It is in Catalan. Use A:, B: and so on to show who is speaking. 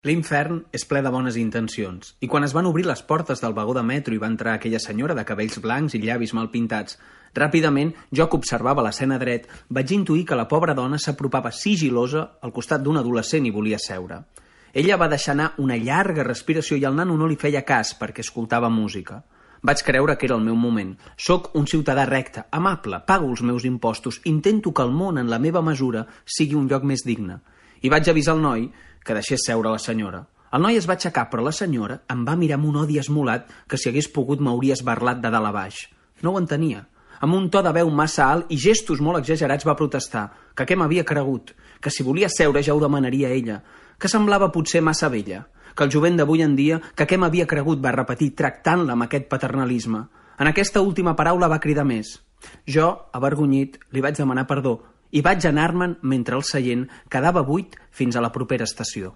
A: L'infern és ple de bones intencions, i quan es van obrir les portes del vagó de metro i va entrar aquella senyora de cabells blancs i llavis mal pintats, ràpidament, jo que observava l'escena dret, vaig intuir que la pobra dona s'apropava sigilosa al costat d'un adolescent i volia seure. Ella va deixar anar una llarga respiració i el nano no li feia cas perquè escoltava música. Vaig creure que era el meu moment. Soc un ciutadà recte, amable, pago els meus impostos, intento que el món en la meva mesura sigui un lloc més digne. I vaig avisar el noi que deixés seure la senyora. El noi es va aixecar, però la senyora em va mirar amb un odi esmolat que si hagués pogut m'hauria esbarlat de dalt a baix. No ho entenia. Amb un to de veu massa alt i gestos molt exagerats va protestar, que què m'havia cregut, que si volia seure ja ho demanaria ella, que semblava potser massa vella, que el jovent d'avui en dia, que què m'havia cregut, va repetir, tractant-la amb aquest paternalisme. En aquesta última paraula va cridar més. Jo, avergonyit, li vaig demanar perdó i vaig anar-me'n mentre el seient quedava buit fins a la propera estació.